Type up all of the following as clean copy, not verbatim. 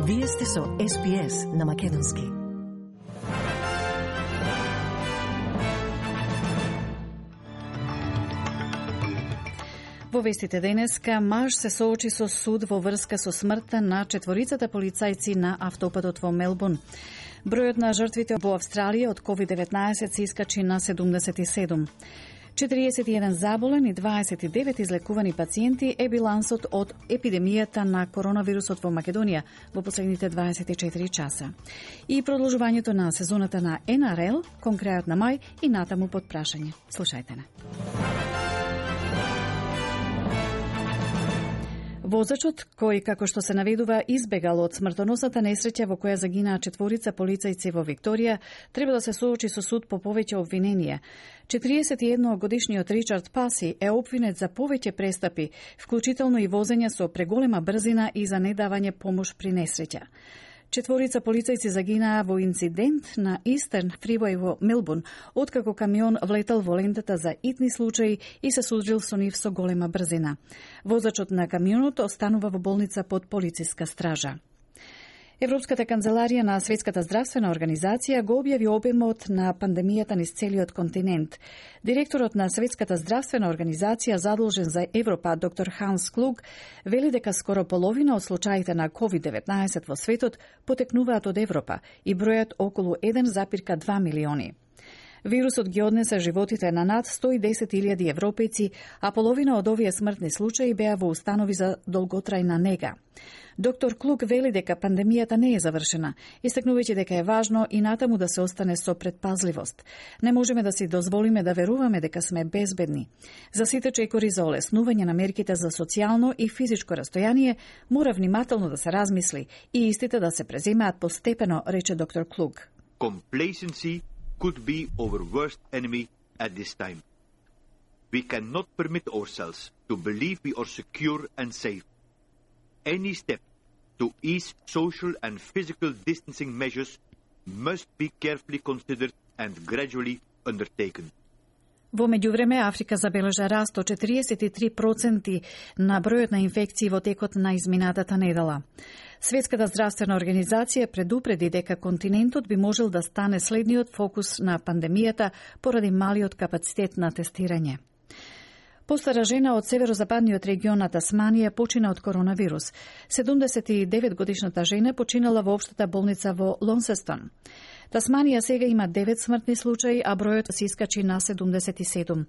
Вие сте со SPS на Македонски. Во вестите денеска, маж се соочи со суд во врска со смртта на четворицата полицајци на автопатот во Мелбурн. Бројот на жртвите во Австралија од COVID-19 се искачи на 77. 41 заболен и 29 излекувани пациенти е билансот од епидемијата на коронавирусот во Македонија во последните 24 часа. И продолжувањето на сезоната на НРЛ кон крајот на мај и натаму под прашање. Слушајте не. Возачот, кој, како што се наведува, избегал од смртоносната несреќа во која загинаа четворица полицајци во Викторија, треба да се соочи со суд по повеќе обвиненија. 41-годишниот Ричард Паси е обвинет за повеќе престапи, вклучително и возење со преголема брзина и за недавање помош при несреќа. Четворица полицајци загинаа во инцидент на Eastern Freeway во Мелбурн, откако камион влетал во лентата за итни случаи и се судрил со нив со голема брзина. Возачот на камионот останува во болница под полициска стража. Европската канцеларија на Светската здравствена организација го објави обемот на пандемијата низ целиот континент. Директорот на Светската здравствена организација задолжен за Европа, доктор Ханс Клуг, вели дека скоро половина од случаите на COVID-19 во светот потекнуваат од Европа и бројат околу 1,2 милиони. Вирусот ги однесе животите на над 110.000 европејци, а половина од овие смртни случаи беа во установи за долготрајна нега. Доктор Клук вели дека пандемијата не е завршена, истакнувајќи дека е важно и натаму да се остане со предпазливост. Не можеме да си дозволиме да веруваме дека сме безбедни. За сите чекори за олеснување на мерките за социјално и физичко растојание мора внимателно да се размисли и истите да се преземаат постепено, рече доктор Клук. Complacency could be our worst enemy at this time. We cannot permit ourselves to believe we are secure and safe. Any step to ease social and physical distancing measures must be carefully considered and gradually undertaken. Во меѓувреме, Африка забележа раст од 43% на бројот на инфекции во текот на изминатата недела. Светската здравствена организација предупреди дека континентот би можел да стане следниот фокус на пандемијата поради малиот капацитет на тестирање. Постара жена од северозападниот регион на Тасманија почина од коронавирус. 79-годишната жена починала во општата болница во Лонсестон. Тасманија сега има 9 смртни случаи, а бројот се искачи на 77.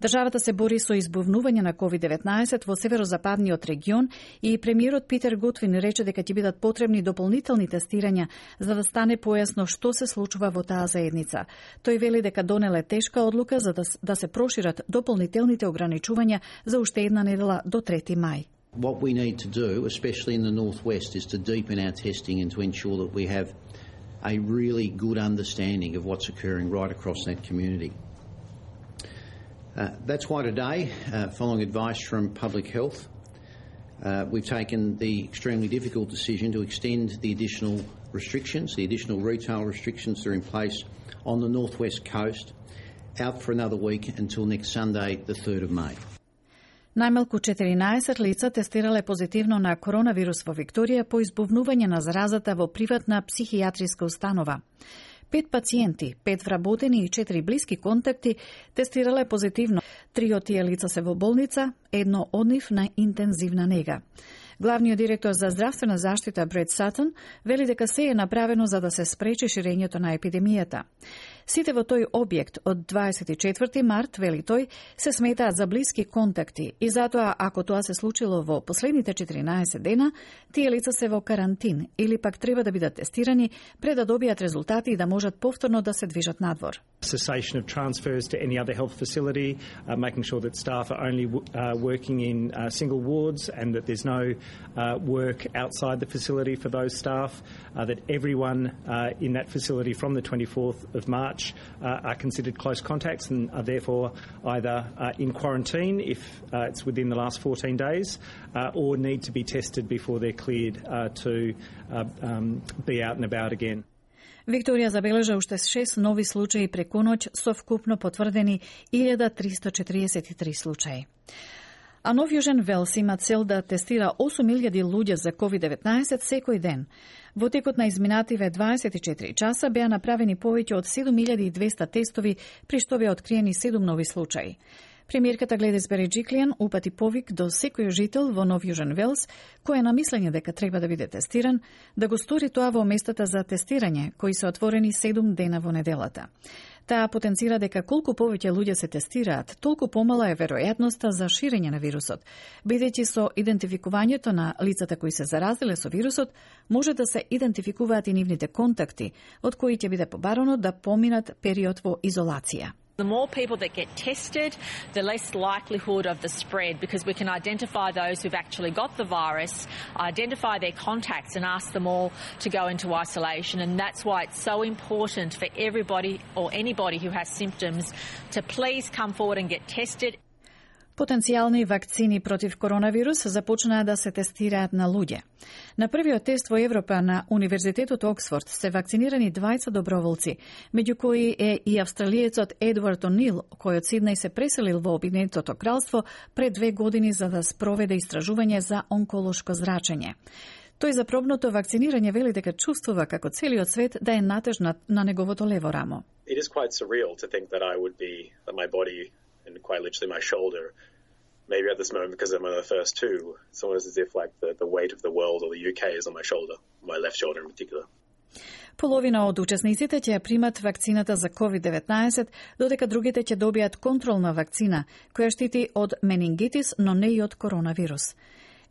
Државата се бори со избувнување на COVID-19 во северозападниот регион и премиерот Питер Готвин рече дека ќе бидат потребни дополнителни тестирања за да стане појасно што се случува во таа заедница. Тој вели дека донеле тешка одлука за да се прошират дополнителните ограничувања за уште една недела до 3 мај. What we need to do, especially in the northwest, is to deepen our testing and to ensure that we have a really good understanding of what's occurring right across that community. That's why today, following advice from Public Health, we've taken the extremely difficult decision to extend the additional restrictions, the additional retail restrictions that are in place on the northwest coast, out for another week until next Sunday, the 3rd of May. Најмалку 14 лица тестирале позитивно на коронавирус во Викторија по избувнување на заразата во приватна психијатриска установа. 5 пациенти, 5 вработени и 4 блиски контакти тестирале позитивно. 3 од тие лица се во болница, едно од нив на интензивна нега. Главниот директор за здравствена заштита Бред Сатон вели дека се е направено за да се спречи ширењето на епидемијата. Сите во тој објект од 24 март, вели тој, се сметаат за блиски контакти и затоа, ако тоа се случило во последните 14 дена, тие лица се во карантин или пак треба да бидат тестирани пред да добијат резултати и да можат повторно да се движат надвор. Cessation of transfers to any other health facility, making sure that staff are only working in single wards and that there's no work outside the facility for those staff, that everyone in that facility from the 24th of March are considered close contacts and are therefore either in quarantine if it's within the last 14 days or need to be tested before they're cleared to be out and about again. Викторија забележа уште 6 нови случаи преку ноќ со вкупно потврдени 1343 случаи. А Нов Јужен Велс има цел да тестира 8.000 луѓе за COVID-19 секој ден. Во текот на изминативе 24 часа беа направени повеќе од 7.200 тестови, при што беа откриени 7 нови случаи. Премиерката Гледис Береджиклијан упати повик до секој жител во Нов Јужен Велс, кој е на мислење дека треба да биде тестиран, да го стори тоа во местата за тестирање, кои се отворени 7 дена во неделата. Таа потенцира дека колку повеќе луѓе се тестираат, толку помала е веројатноста за ширење на вирусот, бидејќи со идентификувањето на лицата кои се заразиле со вирусот, може да се идентификуваат и нивните контакти, од кои ќе биде побарано да поминат период во изолација. The more people that get tested, the less likelihood of the spread, because we can identify those who've actually got the virus, identify their contacts and ask them all to go into isolation. And that's why it's so important for everybody or anybody who has symptoms to please come forward and get tested. Потенцијални вакцини против коронавирус започнаа да се тестираат на луѓе. На првиот тест во Европа на Универзитетот Оксфорд се вакцинирани 20 доброволци, меѓу кои е и австралиецот Едвард О'Нил, кој од Сиднеј се преселил во Обединетото кралство пред 2 години за да спроведе истражување за онколошко зрачење. Тој за пробното вакцинирање вели дека чувствува како целиот свет да е натежнат на неговото лево рамо. It is quite surreal to think that I would be that my body and quite literally my shoulder, maybe at this moment because I'm one of the first two, it's almost as if like the weight of the world or the UK is on my shoulder, my left shoulder in particular. Половина од учесниците ќе ја примат вакцината за COVID-19, додека другите ќе добијат контролна вакцина, која штити од менингитис, но не и од коронавирус.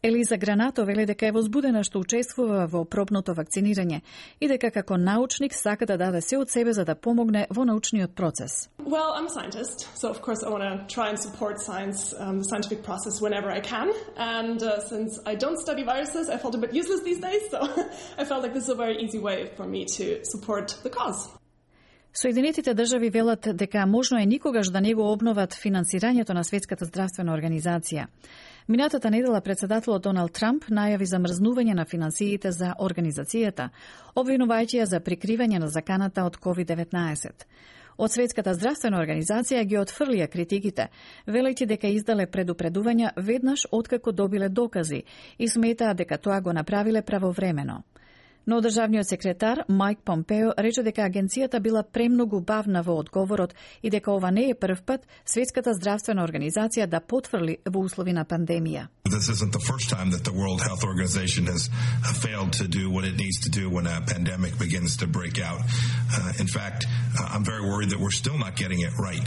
Елиза Гранато вели дека е возбудена што учествува во пробното вакцинирање и дека како научник сака да даде се од себе за да помогне во научниот процес. Well, I'm a scientist, so of course I want to try and support science, the scientific process whenever I can. And since I don't study viruses, I felt a bit useless these days, so I felt like this is a very easy way for me to support the cause. Соединетите држави велат дека можно е никогаш да не го обноват финансирањето на Светската здравствена организација. Минатата недела председателот Доналд Трамп најави замрзнување на финансиите за организацијата, обвинувајќи ја за прикривање на заканата од COVID-19. Од Светската здравствена организација ги отфрлија критиките, велејќи дека издале предупредувања веднаш откако добиле докази и сметаа дека тоа го направиле правовремено. Но државниот секретар Майк Помпео рече дека агенцијата била премногу бавна во одговорот и дека ова не е прв пат Светската здравствена организација да потврли во услови на пандемија. This isn't the first time that the World Health Organization has failed to do what it needs to do when a pandemic begins to break out. In fact, I'm very worried that we're still not getting it right.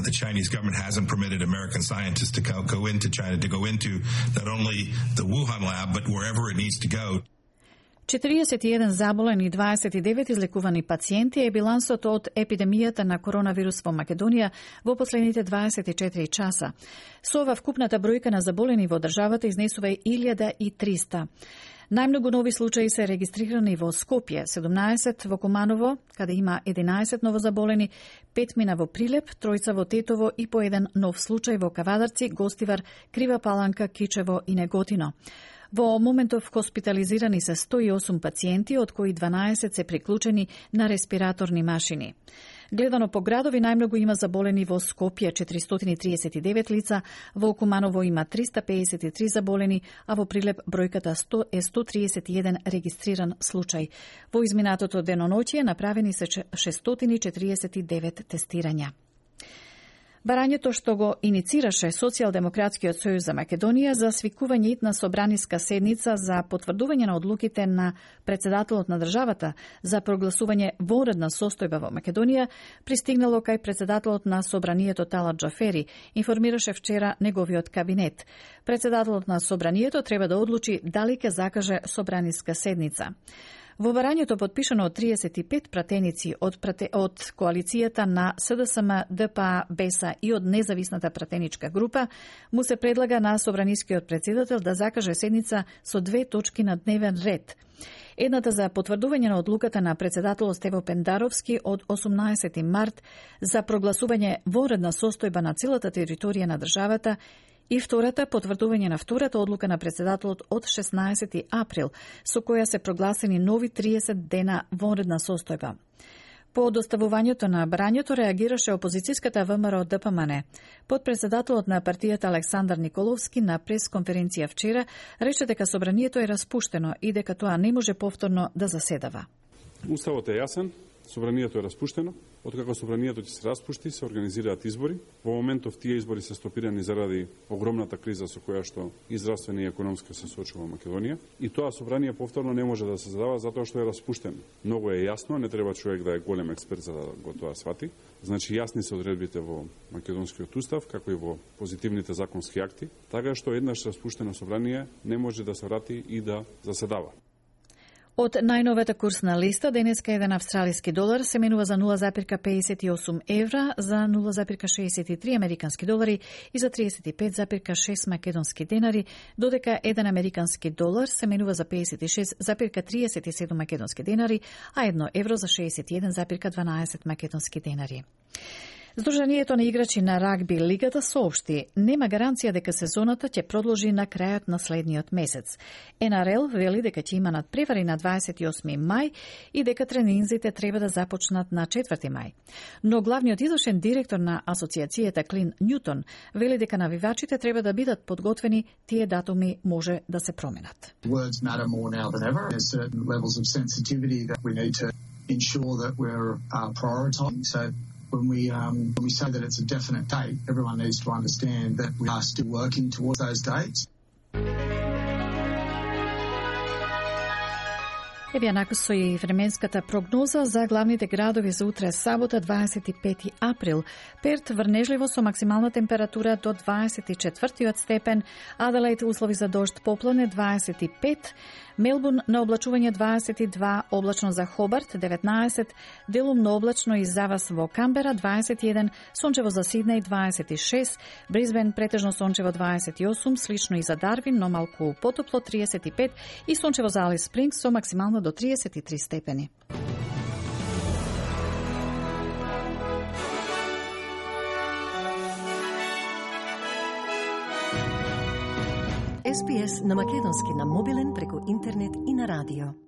The Chinese government hasn't permitted American scientists to go into China, to go into not only the Wuhan lab, but wherever it needs to go. 41 заболени и 29 излекувани пациенти е билансот од епидемијата на коронавирус во Македонија во последните 24 часа. Со ова вкупната бројка на заболени во државата изнесува 1300. Најмногу нови случаи се регистрирани во Скопје, 17 во Куманово, каде има 11 новозаболени, 5 мина во Прилеп, 3 во Тетово и по еден нов случај во Кавадарци, Гостивар, Крива Паланка, Кичево и Неготино. Во моментов хоспитализирани се 108 пациенти, од кои 12 се приклучени на респираторни машини. Гледано по градови, најмногу има заболени во Скопје 439 лица, во Куманово има 353 заболени, а во Прилеп бројката е 131 регистриран случај. Во изминатото деноноќие направени се 649 тестирања. Барањето што го иницираше Социјалдемократскиот сојуз за Македонија за свикување итна собраниска седница за потврдување на одлуките на председателот на државата за прогласување вонредна состојба во Македонија пристигнало кај председателот на собранието Талат Џафери, информираше вчера неговиот кабинет. Председателот на собранието треба да одлучи дали ќе закаже собраниска седница. Во барањето подпишано од 35 пратеници од коалицијата на СДСМ, ДПА, БЕСА и од независната пратеничка група, му се предлага на собранискиот претседател да закаже седница со 2 точки на дневен ред. Едната за потврдување на одлуката на председателот Стево Пендаровски од 18 март за прогласување вонредна состојба на целата територија на државата и втората потврдување на втората одлука на председателот од 16 април, со која се прогласени нови 30 дена вонредна состојба. По доставувањето на брањето реагираше опозицијската ВМРО ДПМН. Подпредседателот на партијата Александар Николовски на пресконференција вчера рече дека собранието е распуштено и дека тоа не може повторно да заседава. Уставот е јасен, собранието е распуштено. Откако собранието ќе се распушти, се организираат избори. Во моментов тие избори се стопирани заради огромната криза со која што и здравствена и економска се соочува Македонија. И тоа собрание повторно не може да се задава затоа што е распуштено. Многу е јасно, не треба човек да е голем експерт за да го тоа свати. Значи јасни се одредбите во македонскиот устав, како и во позитивните законски акти, така што еднаш распуштено собрание не може да се врати и да заседава. Од најновата курсна листа, денеска еден австралиски долар се менува за 0,58 евра, за 0,63 американски долари и за 35,6 македонски денари, додека еден американски долар се менува за 56,37 македонски денари, а 1 евро за 61,12 македонски денари. Сдруженијето на играчи на рагби лигата соопшти нема гаранција дека сезоната ќе продолжи на крајот на следниот месец. НРЛ вели дека ќе има надпревари на 28 мај и дека тренинзите треба да започнат на 4 мај. Но главниот извршен директор на асоциацијата Клин Њутон вели дека навивачите треба да бидат подготвени, тие датуми може да се променат. Words matter more now than ever. There's certain levels of sensitivity that we need to ensure that we're prioritizing. So when we say that it's a definite date, everyone needs to understand that we are still working towards those dates. Еве накусо и временската прогноза за главните градови за утре сабота 25 април. Перт врнежливо со максимална температура до 24 степен, Аделаид услови за дожд поплане 25, Мелбурн на облачување 22, облачно за Хобарт 19, делумно облачно и завас во Камбера 21, сончево за Сиднеј 26, Брисбен претежно сончево 28, слично и за Дарвин, но малку потопло 35 и сончево за Алис Спрингс со максимално до 33 степени. SPS на македонски на мобилен преку интернет и на радио.